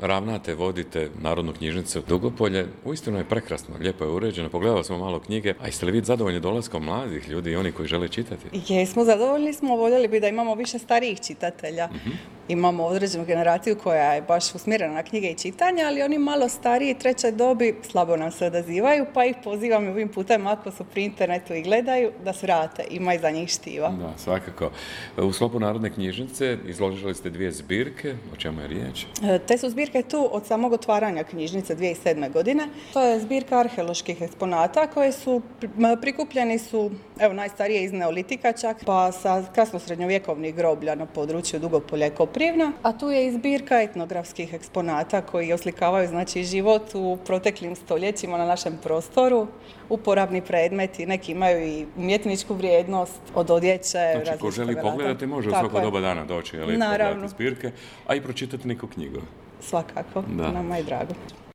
ravnate, vodite Narodnu knjižnicu Dugopolje. Uistinu je prekrasno, lijepo je uređeno. Pogledali smo malo knjige. A jeste li vi zadovoljni dolaskom mladih ljudi i oni koji žele čitati? Jesmo, zadovoljni smo. Voljeli bi da imamo više starijih čitatelja. Imamo određenu generaciju koja je baš usmjerena na knjige i čitanje, ali oni malo stariji, treće dobi, slabo nam se odazivaju, pa ih pozivam ovim putem ako su pri internetu i gledaju, da se vrate, ima i za njih štiva. Da, svakako. U sklopu Narodne knjižnice izložili ste 2 zbirke, o čemu je riječ? Te su zbirke tu od samog otvaranja knjižnice 2007. godine. To je zbirka arheoloških eksponata koje su prikupljeni su, najstarije iz Neolitika čak, pa sa kasno-srednjovjekovnih groblja na području Dugopolja i Koprivna, a tu je i zbirka etnografskih eksponata koji oslikavaju život u proteklim stoljećima na našem prostoru, uporabni predmeti, neki imaju i umjetničku vrijednost od odjeće. Znači, ko želi pogledati može u svako doba dana doći, pogledati zbirke, a i pročitati neku knjigu. Svakako, nama je drago.